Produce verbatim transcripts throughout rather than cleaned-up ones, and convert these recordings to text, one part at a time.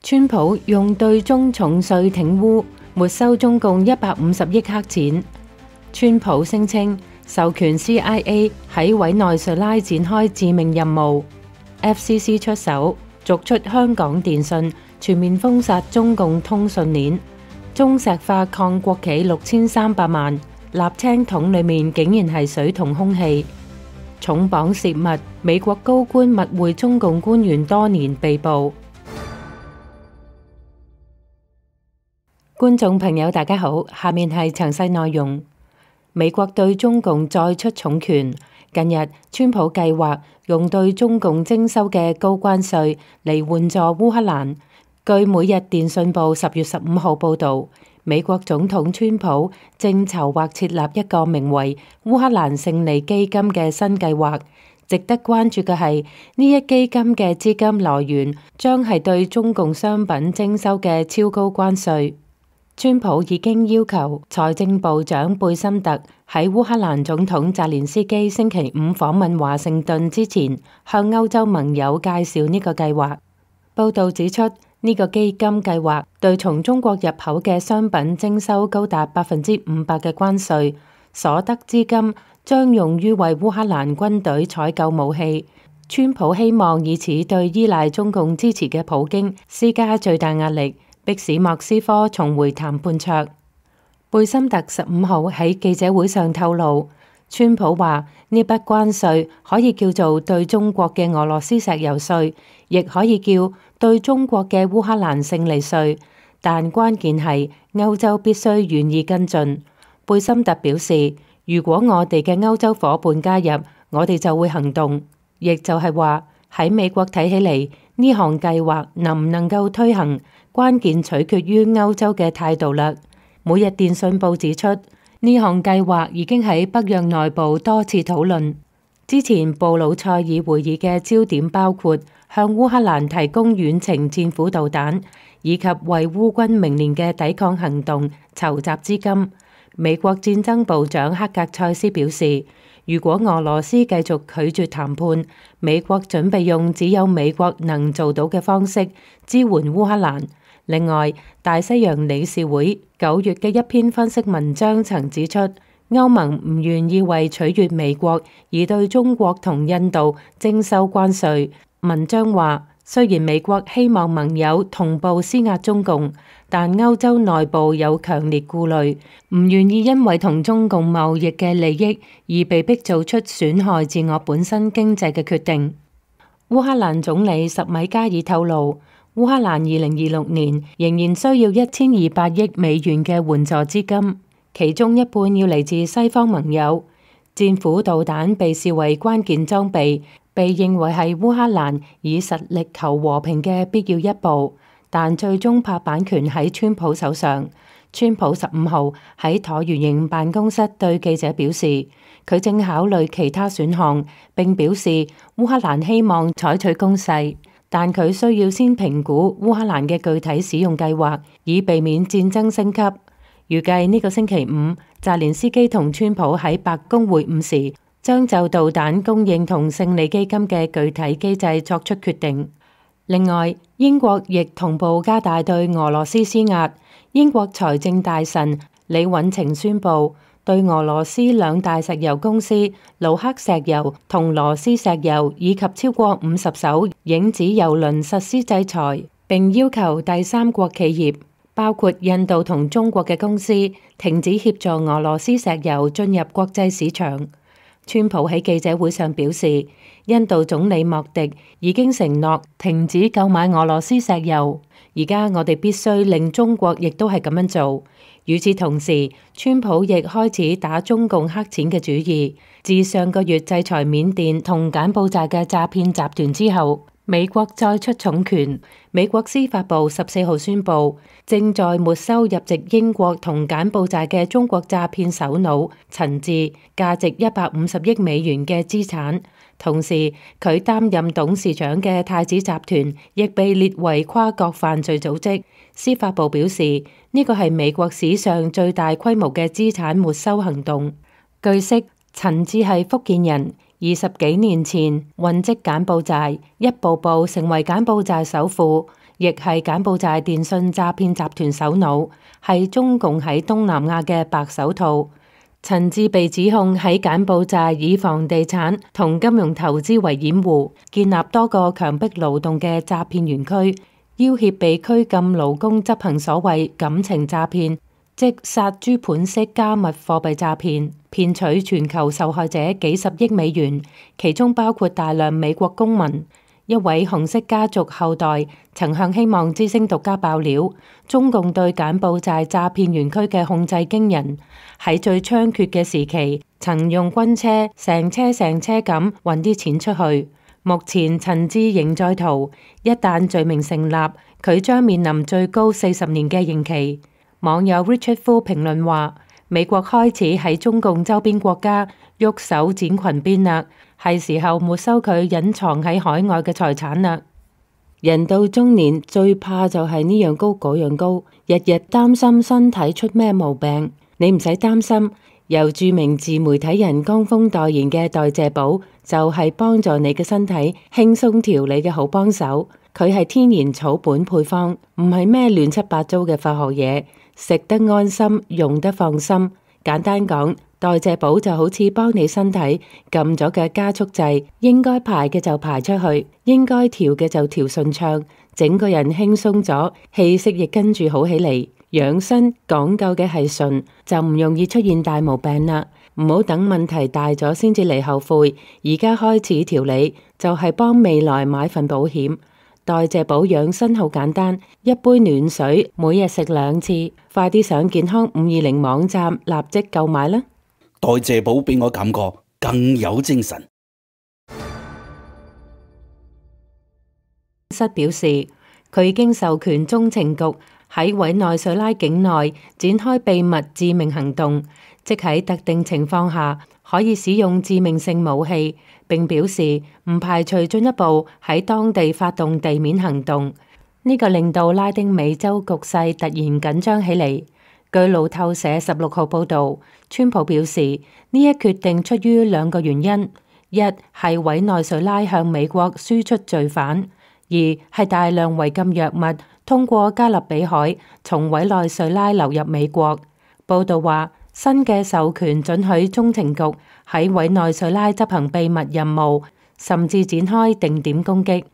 川普用對中重稅挺烏，沒收中共一百五十億黑錢。川普聲稱授權 C I A 喺委內瑞拉展開致命任務。F C C 出手逐出香港電訊，全面封殺中共通訊鏈。中石化抗國企六千三百萬，瀝青桶裡面竟然係水同空氣。重磅洩密，美國高官密會中共官員多年被捕。觀眾朋友大家好，下面係詳細內容。美國對中共再出重拳，近日川普計劃用對中共徵收嘅高關稅嚟援助烏克蘭。據每日電訊報十月十五號報導，美國總統川普正籌劃設立一個名為烏克蘭勝利基金嘅新計劃。值得關注嘅係，呢一基金嘅資金來源將係對中共商品徵收嘅超高關稅。川普已經要求財政部長貝森特喺烏克蘭總統澤連斯基星期五訪問華盛頓之前，向歐洲盟友介紹呢個計劃。報道指出，呢個基金計劃對從中國入口嘅商品徵收高達百分之五百嘅關稅，所得資金將用於為烏克蘭軍隊採購武器。川普希望以此對依賴中共支持嘅普京施加最大壓力，迫使莫斯科重回談判桌。貝森特十五號喺記者會上透露，川普話呢筆關稅可以叫做對中國嘅俄羅斯石油稅，亦可以叫對中國嘅烏克蘭勝利稅，但關鍵係歐洲必須願意跟進。貝森特表示，如果我哋嘅歐洲夥伴加入，我哋就會行動，亦就係話喺美國睇起嚟，呢項計劃能唔能夠推行，關鍵取決於歐洲嘅態度啦。每日電訊報指出，呢項計劃已經喺北約內部多次討論。之前布魯塞爾會議嘅焦點包括向烏克蘭提供遠程戰斧導彈，以及為烏軍明年嘅抵抗行動籌集資金。美國戰爭部長克格塞斯表示，如果俄羅斯繼續拒絕談判，美國準備用只有美國能做到嘅方式支援烏克蘭。另外，大西洋理事會九月嘅一篇分析文章曾指出，歐盟唔願意為取悅美國而對中國同印度徵收關稅。文章話，雖然美國希望盟友同步施壓中共，但歐洲內部有強烈顧慮，唔願意因為同中共貿易嘅利益而被迫做出損害自我本身經濟嘅決定。烏克蘭總理什米加爾透露，烏克蘭二零二六年仍然需要一千二百億美元嘅援助資金，其中一半要嚟自西方盟友。戰斧導彈被視為關鍵裝備，被認為係烏克蘭以實力求和平嘅必要一步，但最終拍板權喺川普手上。川普十五號喺橢圓形辦公室對記者表示，佢正考慮其他選項，並表示烏克蘭希望採取攻勢，但佢需要先評估烏克蘭嘅具體使用計劃，以避免戰爭升級。預計呢個星期五，澤連斯基同川普喺白宮會晤時，將就導彈供應同勝利基金嘅具體機制作出決定。另外，英國亦同步加大對俄羅斯施壓。英國財政大臣李允晴宣布，對俄羅斯兩大石油公司魯克石油同羅斯石油以及超過五十艘影子油輪實施制裁，並要求第三國企業，包括印度同中國嘅公司，停止協助俄羅斯石油進入國際市場。川普喺記者會上表示，印度總理莫迪已經承諾停止購買俄羅斯石油。而家我哋必須令中國亦都係咁樣做。與此同時，川普亦開始打中共黑錢嘅主意。自上個月制裁緬甸同柬埔寨嘅詐騙集團之後，美國再出重拳。美國司法部十四號宣布，正在沒收入籍英國同柬埔寨嘅中國詐騙首腦陳志價值一百五十億美元嘅資產。同時，佢擔任董事長嘅太子集團亦被列為跨國犯罪組織。司法部表示，呢個係美國史上最大規模嘅資產沒收行動。據悉，陳志係福建人，二十幾年前混跡柬埔寨，一步步成為柬埔寨首富。亦係柬埔寨電信詐騙集團首腦，係中共喺東南亞嘅白手套。陳志被指控喺柬埔寨以房地產同金融投資為掩護，建立多個強迫勞動嘅詐騙園區，要挾被拘禁勞工執行所謂感情詐騙，即殺豬盤式加密貨幣詐騙，騙取全球受害者幾十億美元，其中包括大量美國公民。一位紅色家族後代曾向希望之聲獨家爆料，中共對柬埔寨詐騙園區嘅控制驚人，喺最猖獗嘅時期，曾用軍車成車成車咁運啲錢出去。目前陳志仍在逃，一旦罪名成立，佢將面臨最高四十年嘅刑期。網友 Richard Fu 評論話：美國開始喺中共周邊國家喐手展裙邊啦，係時候沒收佢隱藏喺海外嘅財產啦。人到中年最怕就係呢樣高嗰樣高，日日擔心身體出咩毛病。你唔使擔心，由著名自媒體人江峰代言嘅代謝寶就係幫助你嘅身體輕鬆調理嘅好幫手。佢係天然草本配方，唔係咩亂七八糟嘅化學嘢，食得安心，用得放心。簡單講，代謝寶就好似幫你身體撳咗嘅加速掣，應該排嘅就排出去，應該調嘅就調順暢，整個人輕鬆咗，氣息亦跟住好起嚟。養生講究嘅係順，就唔容易出現大毛病啦。唔好等問題大咗先至嚟後悔，而家開始調理就係幫未來買份保險。代謝寶養生好簡單，一杯暖水，每日食兩次。快啲上健康五二零網站立即購買啦！代謝寶俾我感覺更有精神。室表示，佢已經授權中情局喺委內瑞拉境內展開秘密致命行動，即喺特定情況下可以使用致命性武器，並表示唔排除進一步喺當地發動地面行動。呢個令到拉丁美洲局勢突然緊張起嚟。據路透社十六號報導，川普表示呢一決定出於兩個原因：一係委內瑞拉向美國輸出罪犯；二係大量違禁藥物通過加勒比海從委內瑞拉流入美國。報導話，新嘅授權准許中情局喺委內瑞拉執行秘密任務，甚至展開定點攻擊。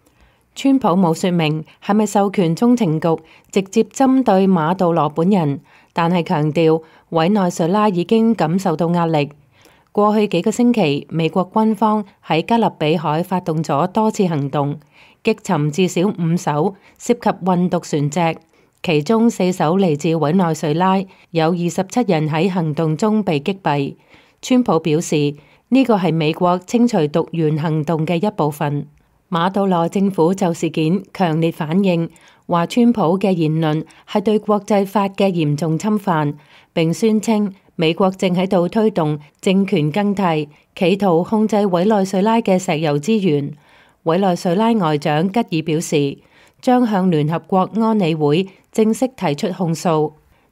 川普冇說明係咪授權中情局直接針對馬杜羅本人，但係強調委內瑞拉已經感受到壓力。過去幾個星期，美國軍方喺加勒比海發動咗多次行動，擊沉至少五艘涉及運毒船隻，其中四艘嚟自委內瑞拉，有二十七人喺行動中被擊斃。川普表示呢個係美國清除毒源行動嘅一部分。馬杜羅政府就事件強烈反應，話川普嘅言論係對國際法嘅嚴重侵犯，並宣稱美國正喺度推動政權更替，企圖控制委內瑞拉嘅石油資源。委內瑞拉外長吉爾表示，將向聯合國安理會正式提出控訴。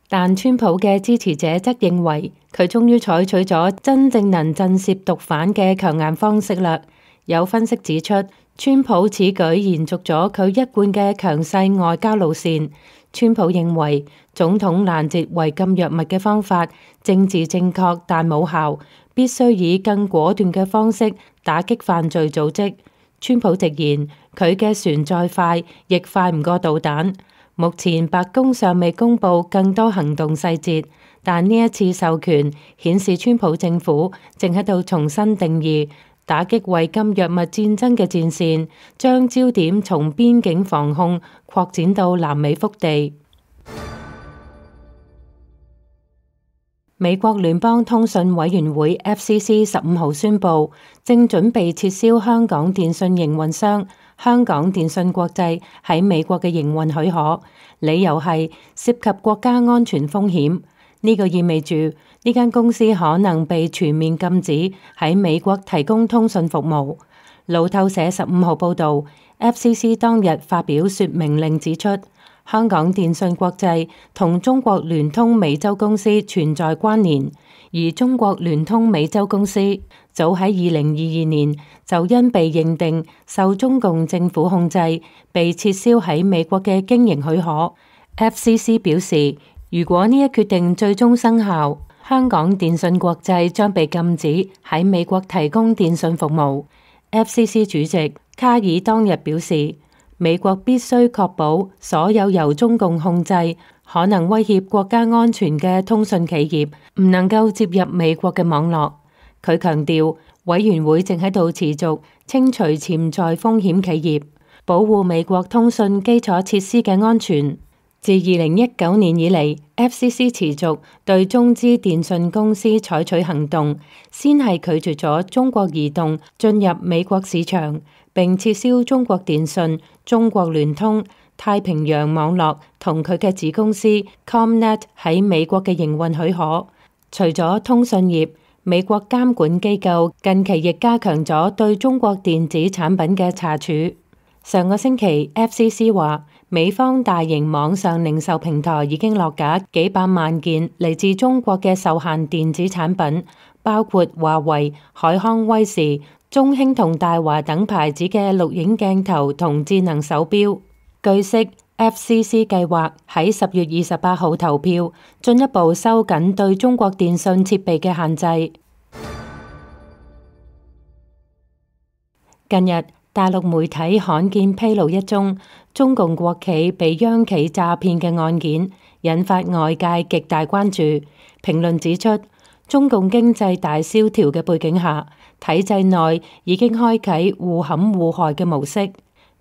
但川普嘅支持者則認為，佢終於採取咗真正能震懾毒販嘅強硬方式啦。有分析指出，川普此舉延續咗佢一貫嘅強勢外交路線。川普認為總統攔截違禁藥物嘅方法政治正確，但冇效，必須以更果斷嘅方式打擊犯罪組織。川普直言，佢嘅船再快，亦快唔過導彈。目前白宮尚未公布更多行動細節，但呢一次授權顯示川普政府正喺度重新定義打擊違禁藥物戰爭嘅戰線，將焦點從邊境防控擴展到南美腹地。美國聯邦通訊委員會 F C C 十五號宣布，正準備撤銷香港電訊營運商香港電訊國際喺美國嘅營運許可，理由係涉及國家安全風險。呢個意味住呢間公司可能被全面禁止喺美國提供通訊服務。路透社十五號報導 ，F C C 當日發表說明令指出，香港電訊國際同中國聯通美洲公司存在關聯，而中國聯通美洲公司早喺二零二二年就因被認定受中共政府控制，被撤銷喺美國嘅經營許可。F C C 表示，如果呢一決定最終生效，香港電訊國際將被禁止喺美國提供電訊服務。F C C 主席卡爾當日表示，美國必須確保所有由中共控制、可能威脅國家安全嘅通訊企業唔能夠接入美國嘅網絡。佢強調，委員會正喺度持續清除潛在風險企業，保護美國通訊基礎設施嘅安全。自二零一九年以嚟 ，F C C 持續對中資電訊公司採取行動，先係拒絕咗中國移動進入美國市場，並撤銷中國電信、中國聯通、太平洋網絡同佢嘅子公司 ComNet 喺美國嘅營運許可。除咗通訊業，美國監管機構近期亦加強咗對中國電子產品嘅查處。上個星期 F C C 話，美方大型網上零售平台已經落架幾百萬件嚟自中國嘅受限電子產品，包括華為、海康威視、中興同大華等牌子嘅錄影鏡頭同智能手錶。據悉 ，F C C 計劃喺十月二十八號投票，進一步收緊對中國電信設備嘅限制。近日，大陸媒體罕見披露一宗中共國企被央企詐騙嘅案件，引發外界極大關注。評論指出，中共經濟大蕭條嘅背景下，體制內已經開啟互陷互害嘅模式。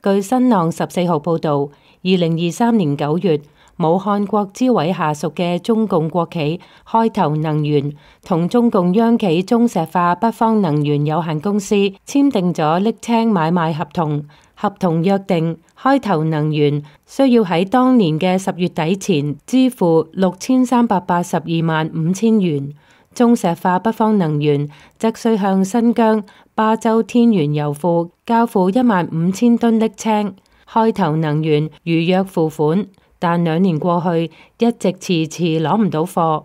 據新浪十四號報導，二零二三年九月，武漢國資委下屬嘅中共國企開頭能源同中共央企中石化北方能源有限公司簽訂咗瀝青買賣合同，合同約定開頭能源需要喺當年嘅十月底前支付六千三百八十二萬五千元，中石化北方能源則需向新疆巴州天然油庫交付一萬五千噸瀝青。開頭能源如約付款，但兩年過去，一直遲遲攞唔到貨。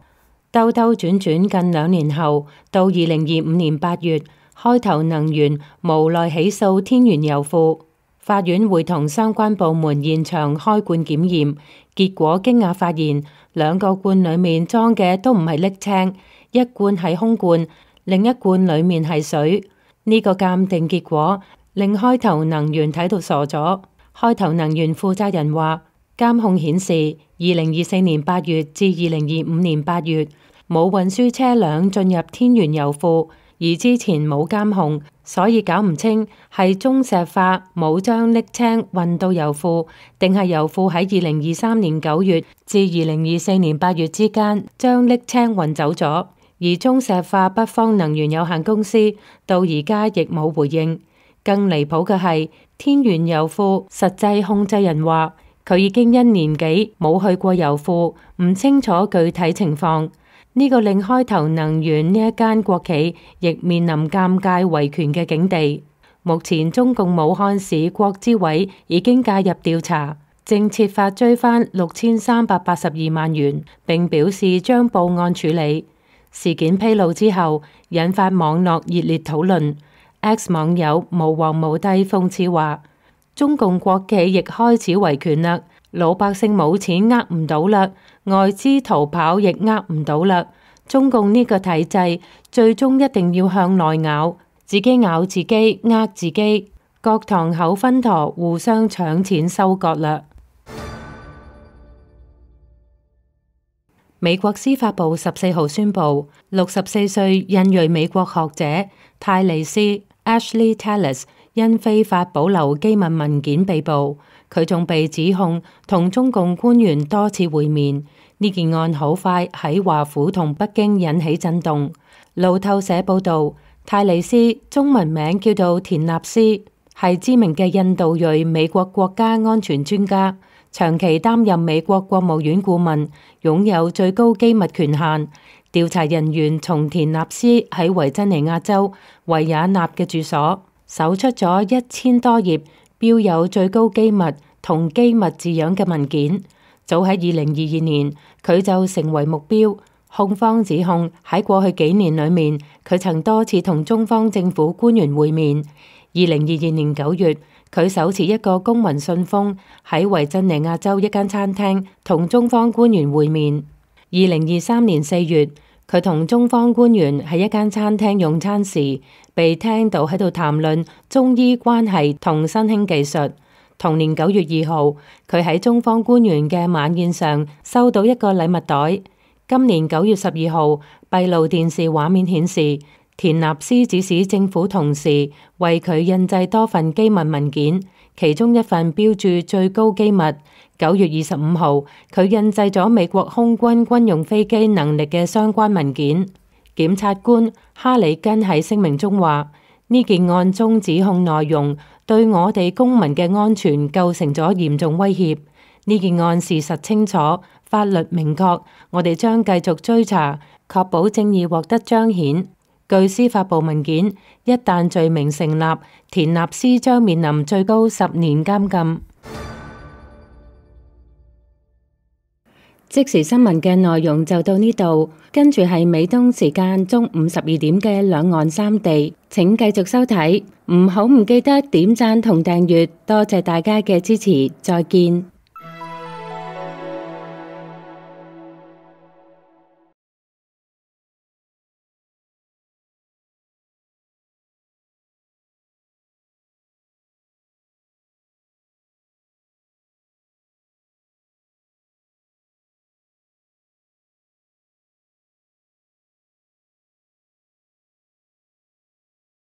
兜兜轉轉近兩年後，到二零二五年八月，開頭能源無奈起訴天然油庫，法院會同相關部門現場開罐檢驗，結果驚訝發現兩個罐裡面裝嘅都唔係瀝青，一罐係空罐，另一罐裡面係水。呢、這個鑑定結果令開頭能源睇到傻咗。開頭能源負責人話，監控顯示，二零二四年八月至二零二五年八月冇運輸車輛進入天然油庫，而之前冇監控，所以搞唔清係中石化冇將瀝青運到油庫，定係油庫喺二零二三年九月至二零二四年八月之間將瀝青運走咗。而中石化北方能源有限公司到而家亦冇回應。更離譜嘅係，天然油庫實際控制人話，佢已經一年幾冇去過油庫，唔清楚具體情況。呢、這個令開頭能源呢一間國企亦面臨尷尬維權嘅境地。目前中共武漢市國資委已經介入調查，正設法追返六千三百八十二萬元，並表示將報案處理。事件披露之後，引發網絡熱烈討論。X 網友無王無帝諷刺話，中共國企亦開始維權啦，老百姓冇錢呃唔到啦，外資逃跑亦呃唔到啦。中共呢個體制最終一定要向內咬，自己咬自己，呃自己，各堂口分舵，互相搶錢收割啦。美國司法部十四號宣布，六十四歲印裔美國學者泰利斯 Ashley Tellis 因非法保留機密文件被捕，佢仲被指控同中共官員多次會面。呢件案好快喺華府同北京引起震動。路透社報道，泰利斯中文名叫做田納斯，係知名嘅印度裔美國國家安全專家，長期擔任美國國務院顧問，擁有最高機密權限。調查人員從田納斯喺維珍尼亞州維也納嘅住所搜出咗一千多頁標有最高機密同機密字樣嘅文件。早喺二零二二年，佢就成為目標。控方指控喺過去幾年裏面，佢曾多次同中方政府官員會面。二零二二年九月，佢手持一個公文信封喺維珍尼亞州一間餐廳同中方官員會面。二零二三年四月，佢同中方官員喺一間餐廳用餐時，被聽到喺度談論中醫關係同新興技術。同年九月二號，佢喺中方官員嘅晚宴上收到一個禮物袋。今年九月十二號，閉路電視畫面顯示，田納斯指使政府同事為佢印製多份機密文件，其中一份標注最高機密。九月二十五號，佢印製咗美國空軍軍用飛機能力嘅相關文件。檢察官哈里根喺聲明中話：呢件案中指控內容對我哋公民嘅安全構成咗嚴重威脅。呢件案事實清楚，法律明確，我哋將繼續追查，確保正義獲得彰顯。據司法部文件，一旦罪名成立，田納斯將面臨最高十年監禁。即時新聞嘅內容就到呢度，跟住係美東時間中午十二點嘅兩岸三地，請繼續收睇，唔好唔記得點讚同訂閱，多謝大家嘅支持，再見。